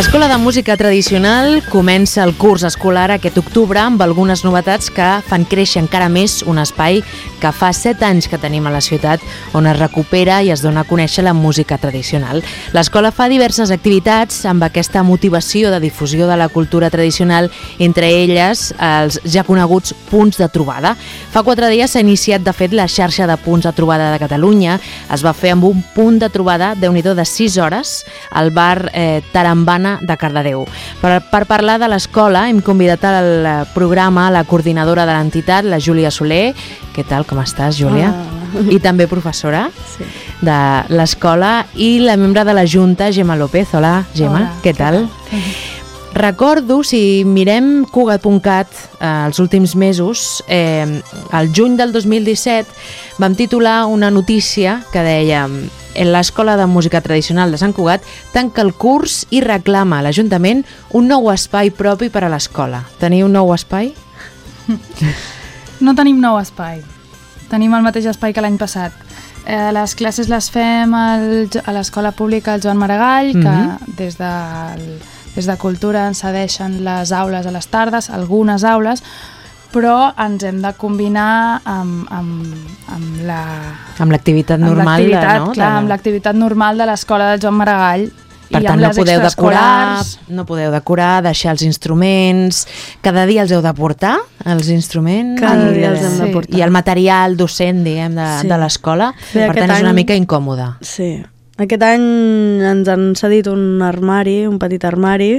L'Escola de Música Tradicional comença el curs escolar aquest octubre amb algunes novetats que fan créixer encara més un espai que fa 7 anys que tenim a la ciutat on es recupera i es dona a conèixer la música tradicional. L'escola fa diverses activitats amb aquesta motivació de difusió de la cultura tradicional, entre elles els ja coneguts punts de trobada. Fa 4 dies s'ha iniciat, de fet, la xarxa de punts de trobada de Catalunya. Es va fer amb un punt de trobada, déu-n'hi-do, de 6 hores al bar Tarambana de Cardedeu. Per parlar de l'escola hem convidat al programa la coordinadora de l'entitat, la Júlia Soler. Què tal, com estàs, Júlia? I també professora de l'escola, i la membre de la Junta, Gemma López. Hola, Gemma, què tal? Recordo, si mirem Cugat.cat els últims mesos, el juny del 2017 vam titular una notícia que deia: l'Escola de Música Tradicional de Sant Cugat tanca el curs i reclama a l'Ajuntament un nou espai propi per a l'escola. Teniu un nou espai? No tenim nou espai. Tenim el mateix espai que l'any passat. Les classes les fem a l'Escola Pública Joan Maragall, que des de Cultura ens cedeixen les aules a les tardes, algunes aules, però ens hem de combinar amb l'activitat normal, no? Clar, amb l'activitat normal de l'Escola de Joan Maragall. Per tant, no podeu decorar, deixar els instruments. Cada dia els heu de portar, els instruments? Cada dia els hem de portar. I el material docent, diguem, de l'escola. Per tant, és una mica incòmode. Sí. Aquest any ens han cedit un armari, un petit armari.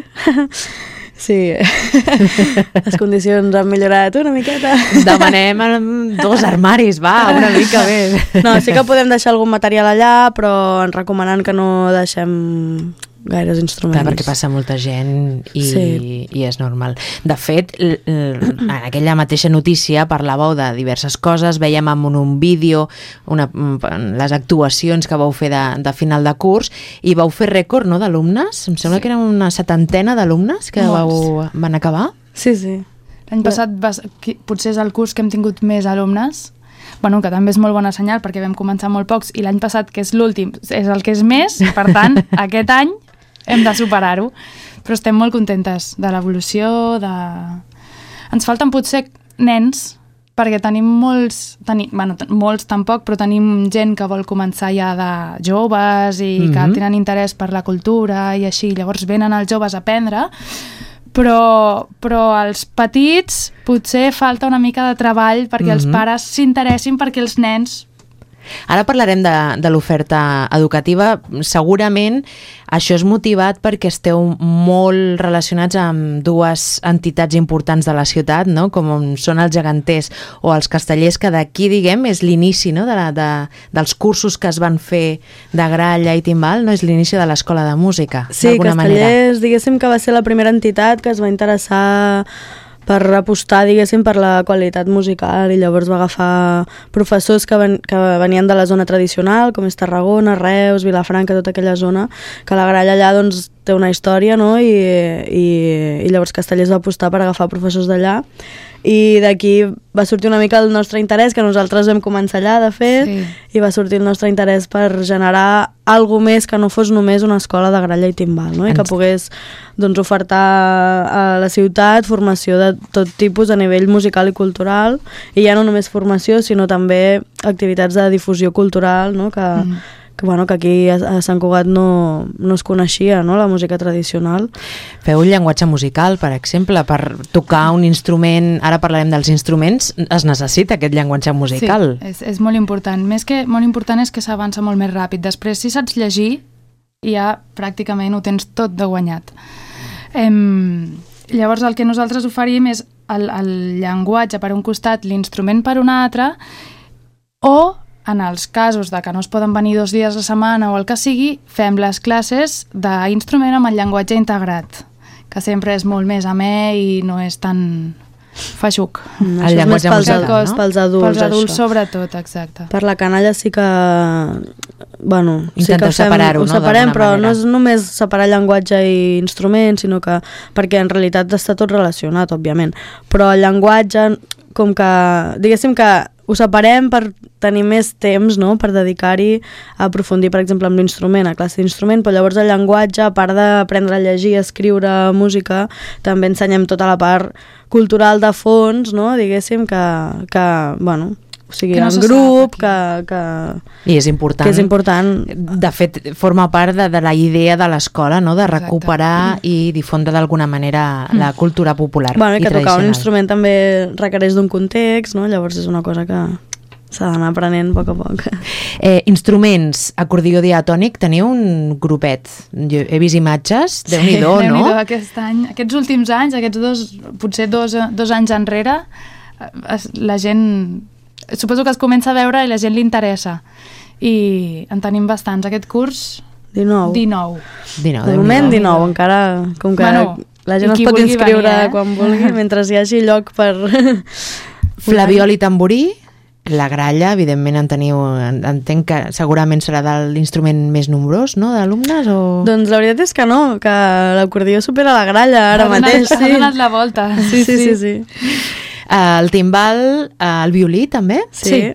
Sí, les condicions han millorat una miqueta. Demanem 2 armaris, va, una mica més. No, sí que podem deixar algun material allà, però ens recomanen que no deixem gaires instruments. Clar, perquè passa molta gent i és normal. De fet, en aquella mateixa notícia parlàveu de diverses coses, vèiem en un vídeo les actuacions que vau fer de final de curs, i vau fer rècord, no?, d'alumnes? Em sembla que eren una 70 d'alumnes que van acabar. Sí, sí. L'any passat potser és el curs que hem tingut més alumnes, que també és molt bona senyal perquè vam començar molt pocs, i l'any passat, que és l'últim, és el que és més, per tant, aquest any hem de superar-ho, però estem molt contentes de l'evolució. Ens falten potser nens, perquè tenim molts tampoc, però tenim gent que vol començar ja de joves i que tenen interès per la cultura i així, llavors venen els joves a aprendre, però als petits potser falta una mica de treball perquè els pares s'interessin perquè els nens... Ara parlarem de l'oferta educativa. Segurament això és motivat perquè esteu molt relacionats amb 2 entitats importants de la ciutat, no?, com són els geganters o els castellers, que d'aquí, diguem, és l'inici, no?, dels cursos que es van fer de gralla i timbal, no? És l'inici de l'Escola de Música, d'alguna manera. Sí, Castellers, diguéssim que va ser la primera entitat que es va interessar per apostar, diguéssim, per la qualitat musical, i llavors va agafar professors que venien de la zona tradicional, com és Tarragona, Reus, Vilafranca, tota aquella zona, que la gralla allà doncs té una història, no?, i llavors Castellers va apostar per agafar professors d'allà, i d'aquí va sortir una mica el nostre interès, que nosaltres vam començar allà, de fet, i va sortir el nostre interès per generar alguna més que no fos només una escola de gralla i timbal, no?, i que pogués doncs ofertar a la ciutat formació de tot tipus a nivell musical i cultural, i ja no només formació, sinó també activitats de difusió cultural, no?, que aquí a Sant Cugat no es coneixia, no?, la música tradicional. Feu un llenguatge musical, per exemple, per tocar un instrument. Ara parlarem dels instruments. Es necessita aquest llenguatge musical. Sí, és molt important. Més que molt important és que s'avança molt més ràpid. Després, si saps llegir, ja pràcticament ho tens tot de guanyat. Llavors, el que nosaltres oferim és el llenguatge per un costat, l'instrument per un altre, o en els casos de que no es poden venir 2 dies a la setmana o el que sigui, fem les classes d'instrument amb el llenguatge integrat, que sempre és molt més amè i no és tan feixuc. El llenguatge musical, no? Pels adults, pels adults sobretot, exacte. Per la canalla sí que... Intenteu separar-ho, no? Ho separem, però no és només separar llenguatge i instrument, sinó que... Perquè en realitat està tot relacionat, òbviament. Però el llenguatge, com que... Diguéssim que ho separem per tenir més temps, no?, per dedicar-hi a aprofundir, per exemple, amb l'instrument, a classe d'instrument, però llavors el llenguatge, a part d'aprendre a llegir, escriure música, també ensenyem tota la part cultural de fons, no?, diguéssim, que bueno, o sigui, en grup, I és important. Que és important. De fet, forma part de la idea de l'escola, no?, de recuperar i difondre d'alguna manera la cultura popular bueno, i tradicional. tocar un instrument també requereix d'un context, no?, llavors és una cosa que s'ha d'anar aprenent a poc a poc. Instruments, acordió diatònic, teniu un grupet. Jo he vist imatges, Déu-n'hi-do, no? Déu-n'hi-do, aquests últims anys, potser dos anys enrere, la gent... Suposo que es comença a veure i la gent li interessa. I en tenim bastants. Aquest curs... 19. De moment 19, encara... Com que la gent es pot inscriure quan vulgui, mentre hi hagi lloc per... Flabiol i tamborí, la gralla, evidentment entenc que segurament serà de l'instrument més nombrós, no?, d'alumnes, o...? Doncs la veritat és que no, que l'acordió supera la gralla ara mateix. Ha donat la volta. Sí. El timbal, el violí també? Sí.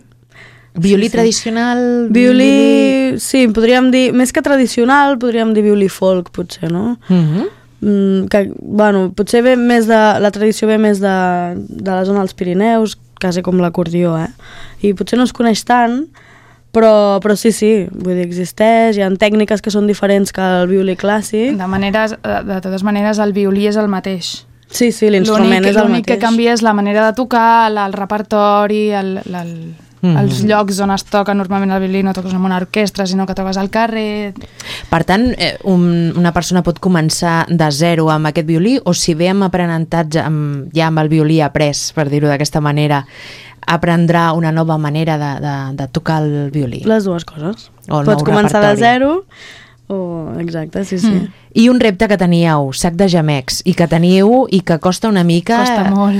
Violí tradicional? Violí, sí, podríem dir, més que tradicional, podríem dir violí folk, potser, no? Que, bueno, potser ve més de, la tradició ve més de la zona dels Pirineus, quasi com l'acordió, i potser no es coneix tant, però sí, vull dir, existeix, hi ha tècniques que són diferents que el violí clàssic. De totes maneres, el violí és el mateix. Sí, l'instrument és el mateix. L'únic que canvia és la manera de tocar, el repertori, els llocs on es toca. Normalment el violí no toques en una orquestra, sinó que toques al carrer. Per tant, una persona pot començar de zero amb aquest violí, o si ve amb aprenentatge, ja amb el violí après, per dir-ho d'aquesta manera, aprendrà una nova manera de tocar el violí? Les dues coses. Pots començar de zero, exacte, sí. I un repte que teníeu, sac de gemecs, i que teniu i que costa una mica... Costa molt.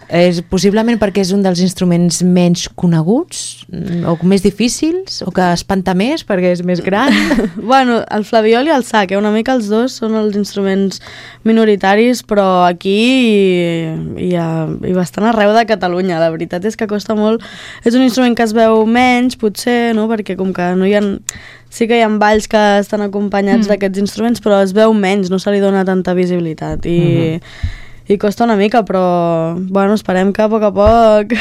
És possiblement perquè és un dels instruments menys coneguts, o més difícils, o que espanta més perquè és més gran. Bueno, el flabiol i el sac, una mica els dos són els instruments minoritaris, però aquí i bastant arreu de Catalunya. La veritat és que costa molt. És un instrument que es veu menys, potser, no?, perquè com que no hi ha... Sí que hi ha balls que estan acompanyats d'aquests instruments, però es veu menys, no se li dona tanta visibilitat i costa una mica, però bueno, esperem que a poc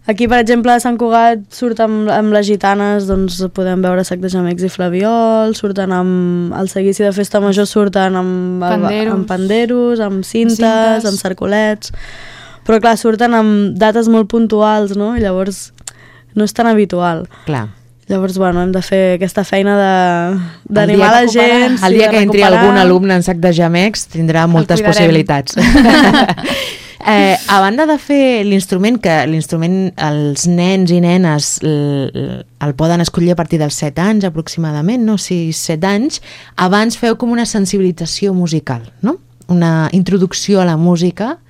aquí, per exemple, a Sant Cugat surt amb les gitanes, doncs podem veure sac de gemecs i flabiol, surten amb el seguici de festa major, surten amb panderos, amb cintes, amb cercolets, però clar, surten amb dates molt puntuals, no? I llavors no és tan habitual. Clar. Llavors, bueno, hem de fer aquesta feina d'animar la gent. El dia que entri algun alumne en sac de gemecs tindrà moltes possibilitats. A banda de fer l'instrument, que l'instrument els nens i nenes el poden escollir a partir dels 7 anys aproximadament, no? 6-7 anys, abans feu com una sensibilització musical, no? Una introducció a la música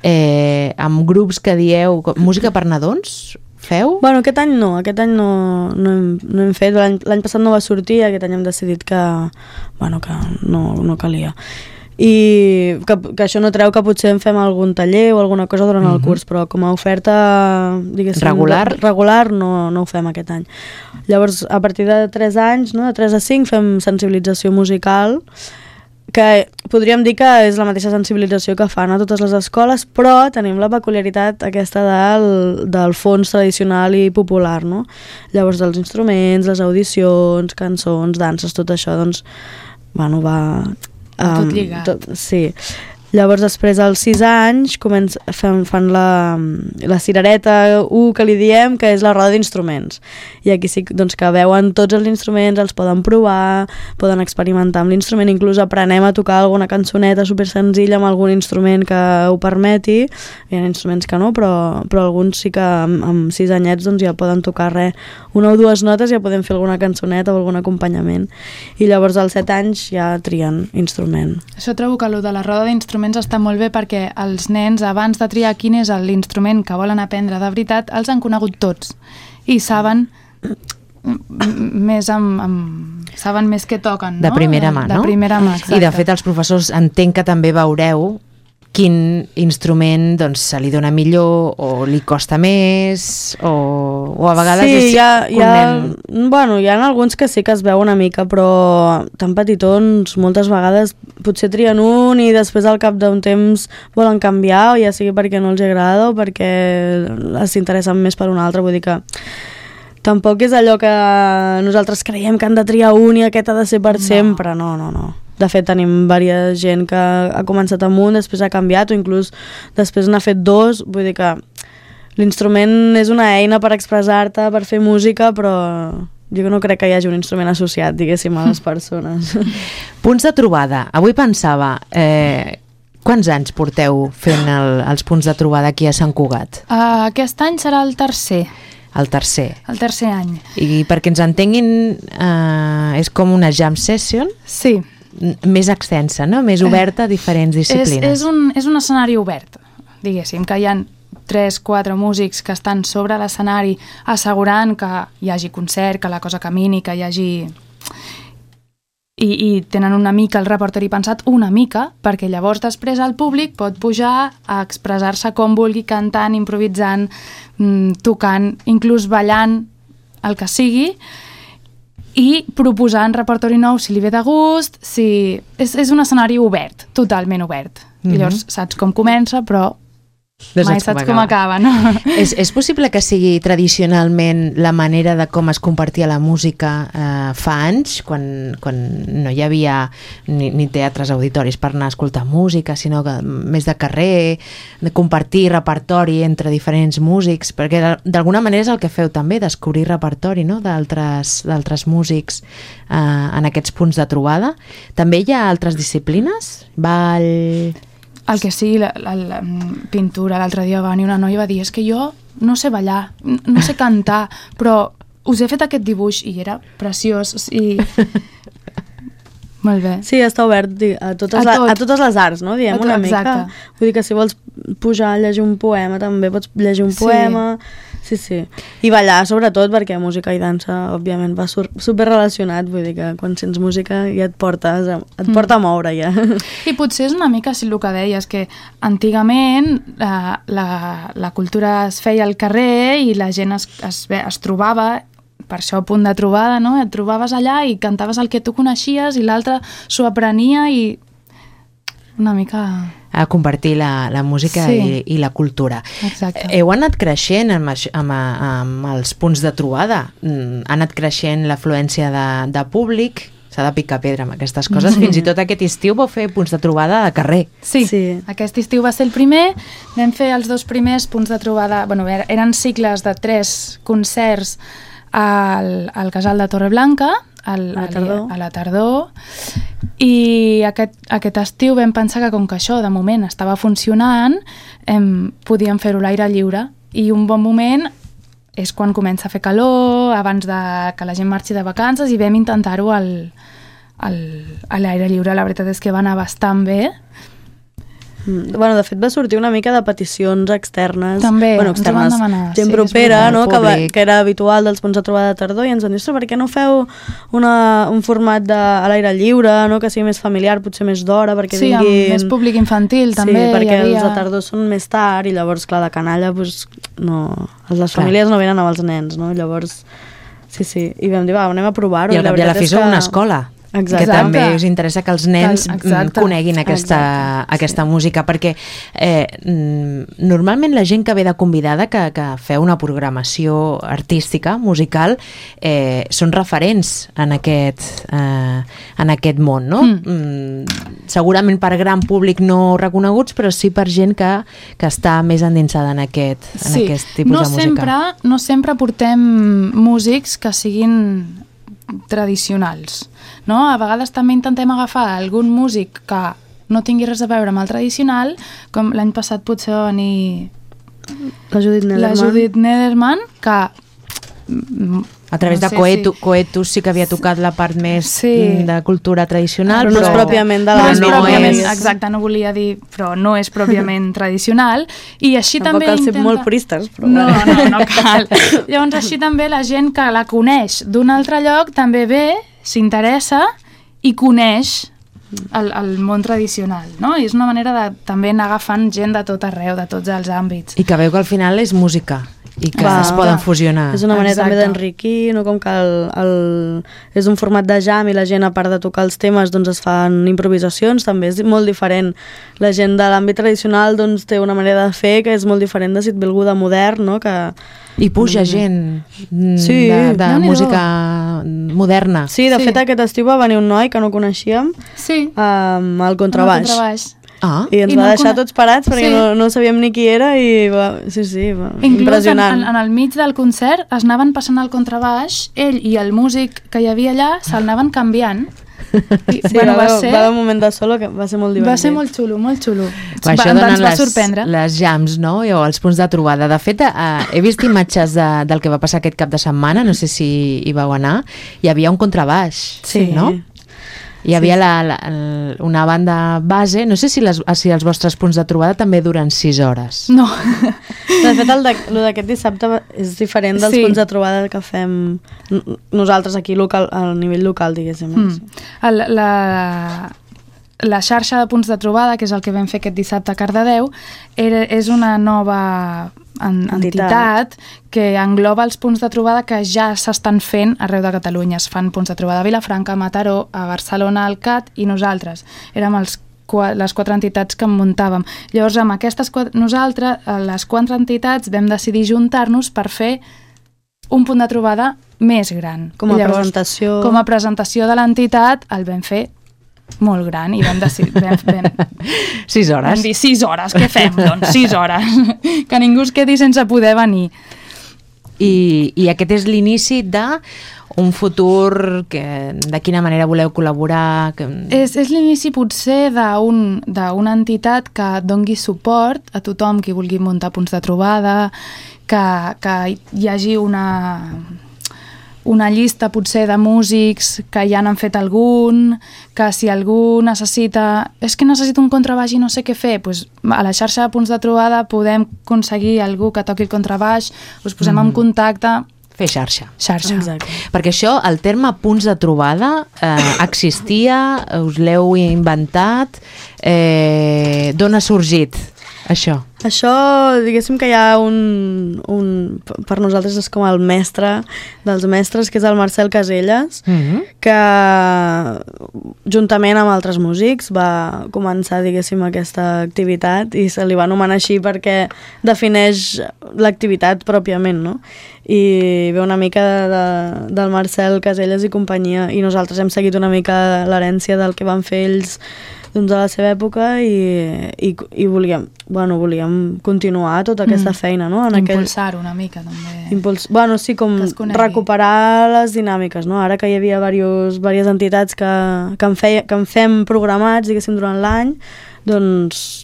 amb grups que dieu música per nadons. Feu? Bueno, aquest any no hem fet, l'any passat no va sortir, aquest any hem decidit que no calia. I que això no treu que potser en fem algun taller o alguna cosa durant el curs, però com a oferta, diguéssim, regular no ho fem aquest any. Llavors, a partir de 3 anys, no? De 3 a 5, fem sensibilització musical, que podríem dir que és la mateixa sensibilització que fan a totes les escoles, però tenim la peculiaritat aquesta del fons tradicional i popular, no? Llavors, els instruments, les audicions, cançons, danses, tot això, doncs, bueno, va... tot lligat. Sí. Llavors, després, als 6 anys, fan la cirereta 1, que li diem, que és la roda d'instruments. I aquí sí doncs, que veuen tots els instruments, els poden provar, poden experimentar amb l'instrument, inclús aprenem a tocar alguna cançoneta supersenzilla amb algun instrument que ho permeti. Hi ha instruments que no, però alguns sí que amb 6 anyets doncs, ja poden tocar una o dues notes, ja podem fer alguna cançoneta o algun acompanyament. I llavors, als 7 anys, ja trien instrument. Això trobo que de la roda d'instruments està molt bé perquè els nens, abans de triar quin és l'instrument que volen aprendre de veritat, els han conegut tots i saben més saben més què toquen, no? De primera mà, no? De primera mà, exacte. I de fet els professors entenc que també veureu quin instrument doncs, se li dona millor o li costa més o a vegades sí, és bueno, hi ha alguns que sí que es veu una mica, però tan petitons moltes vegades potser trien un i després al cap d'un temps volen canviar, o ja sigui perquè no els agrada o perquè s'interessen més per un altre, vull dir que tampoc és allò que nosaltres creiem que han de triar un i aquest ha de ser per sempre, no. De fet, tenim diversa gent que ha començat amb un, després ha canviat o inclús després n'ha fet dos. Vull dir que l'instrument és una eina per expressar-te, per fer música, però jo no crec que hi hagi un instrument associat, diguéssim, a les persones. Punts de trobada. Avui pensava, quants anys porteu fent els punts de trobada aquí a Sant Cugat? Aquest any serà el tercer. El tercer. El tercer any. I perquè ens entenguin, és com una jam session? Sí. Més extensa, no? Més oberta a diferents disciplines. És un escenari obert, diguéssim, que hi ha 3-4 músics que estan sobre l'escenari assegurant que hi hagi concert, que la cosa camini, que hi hagi... I tenen una mica el repertori pensat, una mica, perquè llavors després el públic pot pujar a expressar-se com vulgui, cantant, improvisant, tocant, inclús ballant, el que sigui, i proposant repertori nou si li ve de gust, és un escenari obert, totalment obert. I llavors saps com comença, però mai saps com acaba, no? És possible que sigui tradicionalment la manera de com es compartia la música fa anys, quan no hi havia ni teatres auditoris per anar a escoltar música, sinó que més de carrer, de compartir repertori entre diferents músics, perquè d'alguna manera és el que feu també, descobrir repertori, no?, d'altres músics en aquests punts de trobada. També hi ha altres disciplines? Ball... El que sigui, la pintura. L'altre dia va venir una noia i va dir és que jo no sé ballar, no sé cantar, però us he fet aquest dibuix i era preciós. Molt bé. Sí, està obert a totes les arts, no? Diem una mica. Vull dir que si vols pujar a llegir un poema també pots llegir un poema. Sí. I ballar, sobretot, perquè música i dansa, òbviament, va super relacionat. Vull dir que quan sents música ja et porta a moure, ja. I potser és una mica el que deies, que antigament la cultura es feia al carrer i la gent es trobava, per això punt de trobada, no? Et trobaves allà i cantaves el que tu coneixies i l'altre s'ho aprenia i una mica... a compartir la música i la cultura. Exacte. Heu anat creixent amb els punts de trobada, ha anat creixent l'afluència de públic, s'ha de picar pedra amb aquestes coses, fins i tot aquest estiu vau fer punts de trobada de carrer. Sí. Aquest estiu va ser el primer, vam fer els 2 primers punts de trobada, eren cicles de 3 concerts al Casal de Torreblanca, a la tardor, i aquest estiu vam pensar que com que això de moment estava funcionant, podíem fer-ho a l'aire lliure, i un bon moment és quan comença a fer calor, abans que la gent marxi de vacances, i vam intentar-ho a l'aire lliure. La veritat és que va anar bastant bé. Bueno, de fet va sortir una mica de peticions externes. També, externes, ens van demanar. Gent propera, no? Que era habitual dels punts de trobada de tardor, i ens van dir, per què no feu un format a l'aire lliure, no? Que sigui més familiar, potser més d'hora, perquè vinguin... Sí, amb més públic infantil, també. Sí, perquè els de tardor són més tard, i llavors, clar, de canalla, no... Les famílies no venen amb els nens, no? Llavors, sí. I vam dir, anem a provar-ho. I al cap i a la fi sou una escola. Exacte. Que també us interessa que els nens coneguin aquesta música, perquè normalment la gent que ve de convidada, que feu una programació artística, musical, són referents en aquest món, no? Segurament per gran públic no reconeguts, però sí per gent que està més endinsada en aquest tipus de música. No sempre portem músics que siguin tradicionals, no? A vegades també intentem agafar algun músic que no tingui res a veure amb el tradicional, com l'any passat potser va venir la Judit Nederman, que a través de Coetus sí que havia tocat la part més de cultura tradicional, però no és pròpiament de l'àmbit. Exacte, no volia dir, però no és pròpiament tradicional, i així també cal ser molt puristes, però... No cal. Llavors així també la gent que la coneix d'un altre lloc també ve, s'interessa i coneix el món tradicional, no? I és una manera de també anar agafant gent de tot arreu, de tots els àmbits. I que veu que al final és música i que Clar, es poden fusionar. És una manera també Exacte. d'enriquir, no? Com que és un format de jam i la gent, a part de tocar els temes, doncs es fan improvisacions, també és molt diferent. La gent de l'àmbit tradicional doncs, té una manera de fer que és molt diferent de si et ve algú de modern, no? Que... I puja gent Sí. de Déu-n'hi-do. música moderna. Sí, de fet aquest estiu va venir un noi que no coneixíem Sí, amb el contrabaix. Ah, I ens I va no deixar cone- tots parats perquè Sí. no sabíem ni qui era i va... Sí, va... inclús impressionant. en el mig del concert es anaven passant el contrabaix, ell i el músic que hi havia allà se'l anaven canviant. I, Sí, va haver un moment de solo que va ser molt divertit. va ser molt xulo, molt xulo. això Ens donen va sorprendre. les jams, no? O els punts de trobada. De fet, he vist imatges del que va passar aquest cap de setmana, no sé si hi vau anar, hi havia un contrabaix, Sí. no? Hi havia una banda base, no sé si els vostres punts de trobada també duren 6 hores. No. De fet, el d'aquest dissabte és diferent dels Sí. punts de trobada que fem nosaltres aquí al nivell local, diguéssim. La xarxa de punts de trobada, que és el que vam fer aquest dissabte a Cardedeu, és una nova entitat que engloba els punts de trobada que ja s'estan fent arreu de Catalunya. Es fan punts de trobada a Vilafranca, a Mataró, a Barcelona, al CAT i nosaltres. Érem les 4 entitats que en muntàvem. Llavors, amb nosaltres, les 4 entitats, vam decidir juntar-nos per fer un punt de trobada més gran. Com a Llavors, presentació. Com a presentació de l'entitat, el vam fer molt gran i vam decidir... 6 hores. Vam dir 6 hores, què fem? Doncs 6 hores. Que ningú es quedi sense poder venir. I aquest és l'inici d'un futur que de quina manera voleu col·laborar? És l'inici potser d'una entitat que dongui suport a tothom qui vulgui muntar punts de trobada, que hi hagi una llista potser de músics que ja n'han fet algun, que si algú necessita... És que necessito un contrabaix i no sé què fer, doncs a la xarxa de punts de trobada podem aconseguir algú que toqui el contrabaix, us posem en contacte... Fer xarxa. Xarxa. Exacte. Perquè això, el terme punts de trobada, existia, us l'heu inventat, d'on ha sorgit això? Això, diguéssim que hi ha per nosaltres és com el mestre dels mestres, que és el Marcel Caselles, que juntament amb altres músics va començar, diguéssim, aquesta activitat i se li va anomenar així perquè defineix l'activitat pròpiament, no? I ve una mica del Marcel Caselles i companyia, i nosaltres hem seguit una mica l'herència del que van fer ells doncs a la seva època i volíem continuar tota aquesta feina, no? Impulsar una mica, també. Sí, com recuperar les dinàmiques, no? Ara que hi havia diverses entitats que en fem programats, diguéssim, durant l'any, doncs,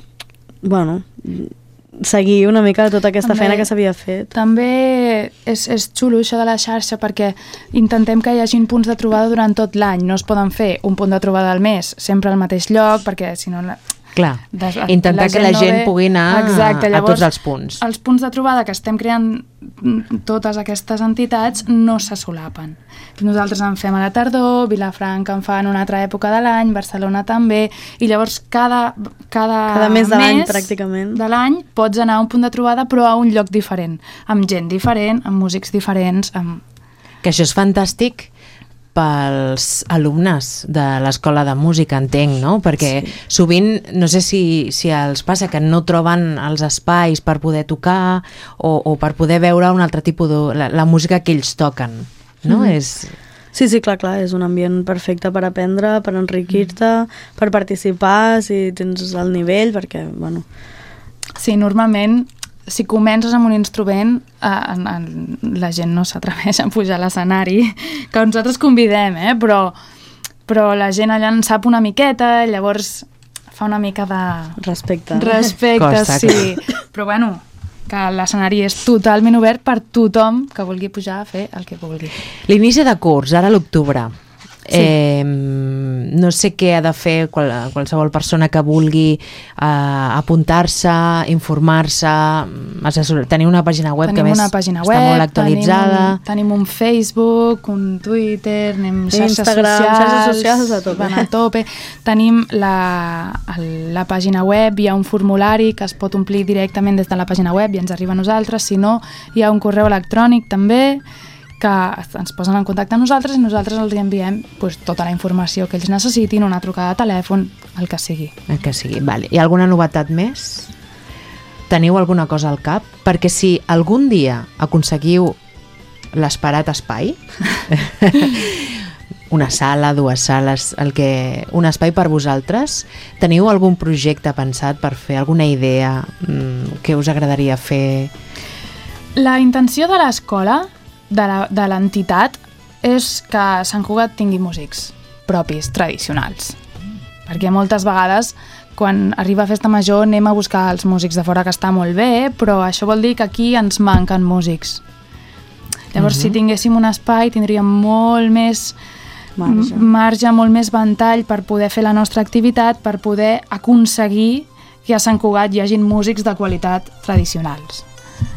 seguir una mica tota aquesta feina que s'havia fet. També és xulo això de la xarxa perquè intentem que hi hagi punts de trobada durant tot l'any. No es poden fer un punt de trobada al mes sempre al mateix lloc perquè si no... Clar, intentar que la gent pugui anar a tots els punts. Els punts de trobada que estem creant totes aquestes entitats no se solapen. Nosaltres en fem a la tardor, Vilafranca en fa en una altra època de l'any, Barcelona també, i llavors cada mes de l'any pràcticament de l'any pots anar a un punt de trobada però a un lloc diferent, amb gent diferent, amb músics diferents. Que això és fantàstic pels alumnes de l'escola de música, entenc, no? Perquè sovint, no sé si els passa que no troben els espais per poder tocar o per poder veure un altre tipus la música que ells toquen, no? Sí, clar, és un ambient perfecte per aprendre, per enriquir-te, per participar, si tens el nivell, perquè, Sí, normalment si comences amb un instrument, la gent no s'atreveix a pujar a l'escenari, que nosaltres convidem, però la gent allà en sap una miqueta, llavors fa una mica de... Respecte, costa, sí. Però que l'escenari és totalment obert per tothom que vulgui pujar a fer el que vulgui. L'inici de curs, ara a l'octubre. Sí. no sé què ha de fer qualsevol persona que vulgui apuntar-se, informar-se, tenir una pàgina web que més està molt actualitzada. Tenim un Facebook, un Twitter, anem xarxes socials a tope. Van a tope. Tenim la pàgina web, hi ha un formulari que es pot omplir directament des de la pàgina web i ens arriba a nosaltres, si no hi ha un correu electrònic també que ens posen en contacte amb nosaltres i nosaltres els enviem tota la informació que ells necessitin, una trucada de telèfon, el que sigui. El que sigui, vale. Hi ha alguna novetat més? Teniu alguna cosa al cap? Perquè si algun dia aconseguiu l'esperat espai, una sala, dues sales, un espai per vosaltres, teniu algun projecte pensat per fer, alguna idea que us agradaria fer? La intenció de l'escola, de l'entitat, és que Sant Cugat tingui músics propis, tradicionals. Perquè moltes vegades, quan arriba Festa Major, anem a buscar els músics de fora, que està molt bé, però això vol dir que aquí ens manquen músics. Llavors, si tinguéssim un espai, tindríem molt més marge, molt més ventall per poder fer la nostra activitat, per poder aconseguir que a Sant Cugat hi hagin músics de qualitat tradicionals.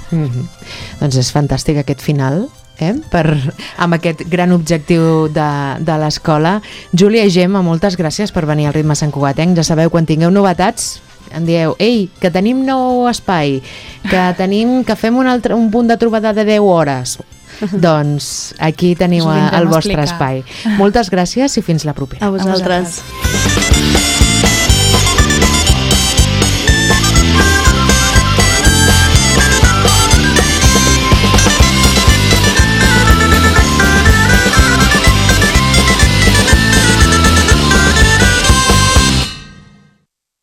Doncs és fantàstic aquest final, amb aquest gran objectiu de l'escola. Júlia i Gemma, moltes gràcies per venir al Ritme Sant Cugatenc. Ja sabeu, quan tingueu novetats, em dieu, ei, que tenim nou espai, que fem un punt de trobada de 10 hores. Doncs aquí teniu el vostre espai. Moltes gràcies i fins la propera. A vosaltres.